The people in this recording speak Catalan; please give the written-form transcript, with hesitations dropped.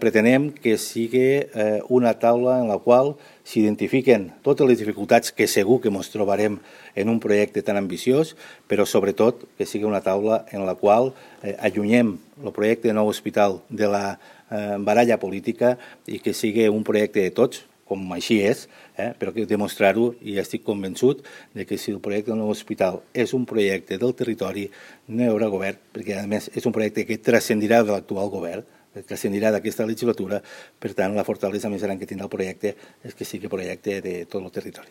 Pretenem que sigui una taula en la qual s'identifiquen totes les dificultats que segur que ens trobarem en un projecte tan ambiciós, però sobretot que sigui una taula en la qual allunyem el projecte de nou hospital de la baralla política i que sigui un projecte de tots, com així és, però que demostrar-ho, i estic convençut de que si el projecte del nou hospital és un projecte del territori, no hi haurà govern, perquè a més és un projecte que transcendirà de l'actual govern, que transcendirà d'aquesta legislatura. Per tant, la fortalesa més gran que tindrà el projecte és que sigui projecte de tot el territori.